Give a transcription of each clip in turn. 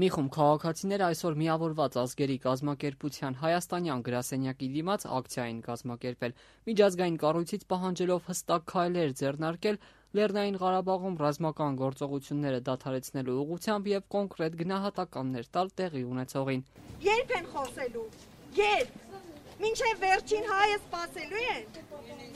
Մի խումբ քաղաքացիներ այսօր միավորված ազգերի կազմակերպության հայաստանյան գրասենյակի դիմաց ակցիա են կազմակերպել, միջազգային կառույցից պահանջելով հստակ քայլեր ձեռնարկել Լեռնային Ղարաբաղում ռազմական գործողությունները դադարեցնելու ուղղությամբ եւ կոնկրետ գնահատականներ տալ տեղի ունեցողին։ Երբ են խոսելու։ Երբ մինչև վերջին հայը սպասելու են։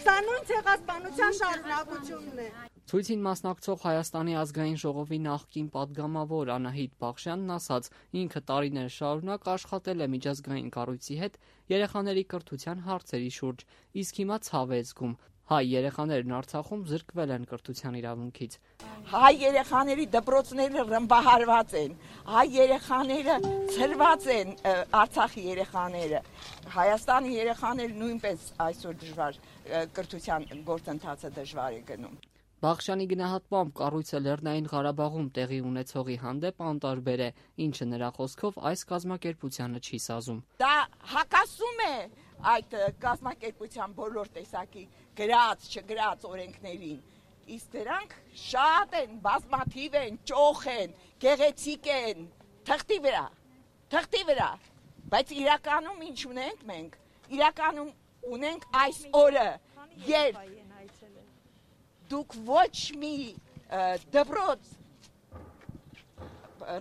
Սա նույն ցեղասպանության շարունակությունն է։ Ցույցին մասնակցող Հայաստանի ազգային ժողովի նախկին падգամավոր Անահիտ Բախշյանն ասաց, ինքը տարիներ շարունակ աշխատել է միջազգային կառույցի հետ երեխաների կրթության հարցերի շուրջ, իսկ հիմա ցավ է զգում։ Հայ երեխաներն Արցախում զրկվել են կրթության իրավունքից։ Հայ երեխաների դպրոցները ռմբահարված են, հայ երեխաները ցրված են, Արցախի երեխաները, Հայաստանի երեխաները նույնպես այսօր դժվար կրթության գործընթացը դժվար է գնում։ Բախշյանի գնահատմամբ կառույցը Լեռնային Ղարաբաղում տեղի ունեցողի հանդեպ անտարբեր է, ինչը նրա խոսքով այս կազմակերպությանը չի սազում։ Դա հակասում է այդ կազմակերպության բոլոր տեսակի գրած, չգրած օրենքներին, իսկ դրանք շատ են, բազմաթիվ են, ճոխ են, գեղեցիկ են, թղթի վրա, բայց իրականում ինչ ունենք մենք, իրականում ունենք այս օրը, երբ դուք ոչ մի դպրոց,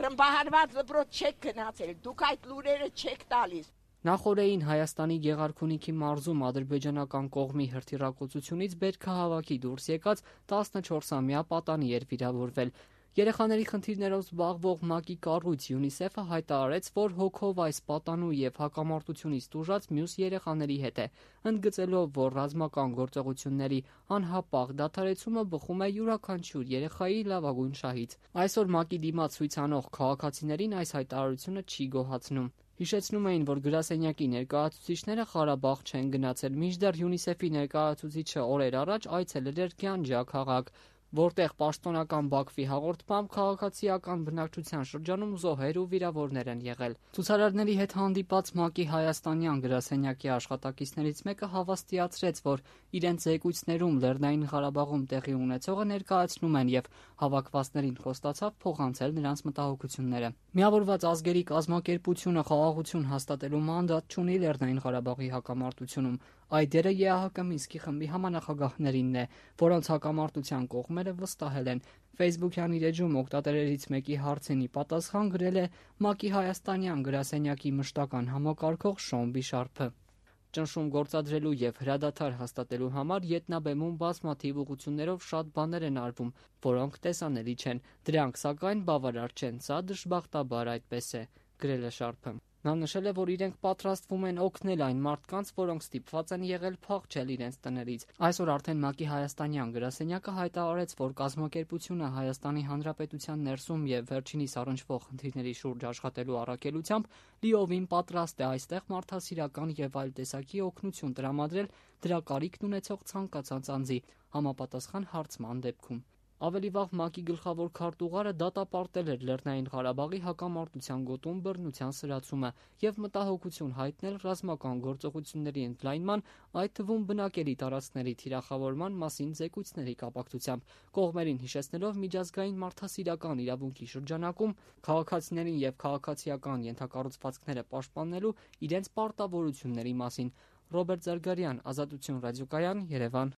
ռմբահարված դպրոց չեք գնացել, դուք այդ լուրերը չեք տալիս։ Նախորդին Հայաստանի Գեղարքունիքի մարզում ադրբեջանական կողմի հրթիռակոծությունից բերքահավաքի դուրս եկած 14-ամյա պատանի էր վիրավորվել։ Երեխաների խնդիրներով զբաղվող ՄԱԿ-ի կառույց ՅՈՒՆԻՍԵՖ-ը հայտարարեց, որ հոգով այս պատանու եւ հակամարտությունից տուժած մյուս երեխաների հետ է, ընդգծելով, որ ռազմական գործողությունների անհապաղ դադարեցումը բխում է յուրաքանչյուր երեխայի լավագույն շահից։ Այսօր ՄԱԿ-ի դիմաց ցույց անող քաղաքացիներին այս հայտարարությունը չի գոհացնում։ Հիշեցնում էին, որ գրասենյակի ներկայացուցիչները Ղարաբաղ չեն գնացել, մինչդեռ ՅՈՒՆԻՍԵՖ-ի ներկայացուցիչը օրեր առաջ այցելել էր Գյանջա քաղաք, որտեղ պաշտոնական Բաքվի հաղորդմամբ քաղաքացիական բնակչության շրջանում զոհեր ու վիրավորներ են եղել։ Ցուցարարների հետ հանդիպած ՄԱԿ-ի հայաստանյան գրասենյակի աշխատակիցներից մեկը հավաստիացրեց, որ իրենց զեկույցներում Լեռնային Ղարաբաղում տեղի ունեցողը ներկայացնում են եւ հավաքվածներին խոստացավ փոխանցել նրանց մտահոգությունները։ Միավորված ազգերի կազմակերպությունը խաղաղություն հաստատելու մանդատ չունի Լեռնային Ղարաբաղի հակամարտությունում։ Այդ դերը ԵԱՀԿ Մինսկի խմբի համանախագահներինն է, որոնց հակամարտության կողմերը վստահել են։ Facebook-յան իր էջում օգտատերերից մեկի հարցին ի պատասխան գրել է ՄԱԿ-ի հայաստանյան գրասենյակի մշտական համակարգող Շոն Բիշարփը։ Ճնշում գործադրելու եւ հրադադար հաստատելու համար ետնաբեմում բազմաթիվ ուղղություններով շատ բաներ են արվում, որոնք տեսանելի չեն։ Դրանք սակայն բավարար չեն, սա դժբախտաբար այդպես է, գրել է Շարփը։ Նա նշել է, որ իրենք պատրաստվում են օգնել այն մարդկանց, որոնք ստիպված են եղել փախչել իրենց տներից։ Այսօր արդեն ՄԱԿ-ի հայաստանյան գրասենյակը հայտարարեց, որ կազմակերպությունը Հայաստանի Հանրապետության ներսում եւ վերջինիս առնչվող խնդիրների շուրջ աշխատելու առաքելությամբ լիովին պատրաստ է այստեղ մարդասիրական եւ այլ տեսակի օգնություն տրամադրել դրա կարիքն ունեցող ցանկացած անձի համապատասխան հարցման դեպքում։ Ավելի վաղ ՄԱԿ-ի գլխավոր քարտուղարը դատապարտել էր Լեռնային Ղարաբաղի հակամարտության գոտում բռնության սրացումը եւ մտահոգություն հայտնել ռազմական գործողությունների ընդլայնման, այդ թվում բնակելի տարածքների թիրախավորման մասին զեկույցների կապակցությամբ, կողմերին հիշեցնելով միջազգային մարդասիրական իրավունքի շրջանակում քաղաքացիներին եւ քաղաքացիական ենթակառուցվածքները պաշտպանելու իրենց պարտավորությունների մասին։ Ռոբերտ Զարգարյան, Ազատություն ռադիոկայան, Երևան։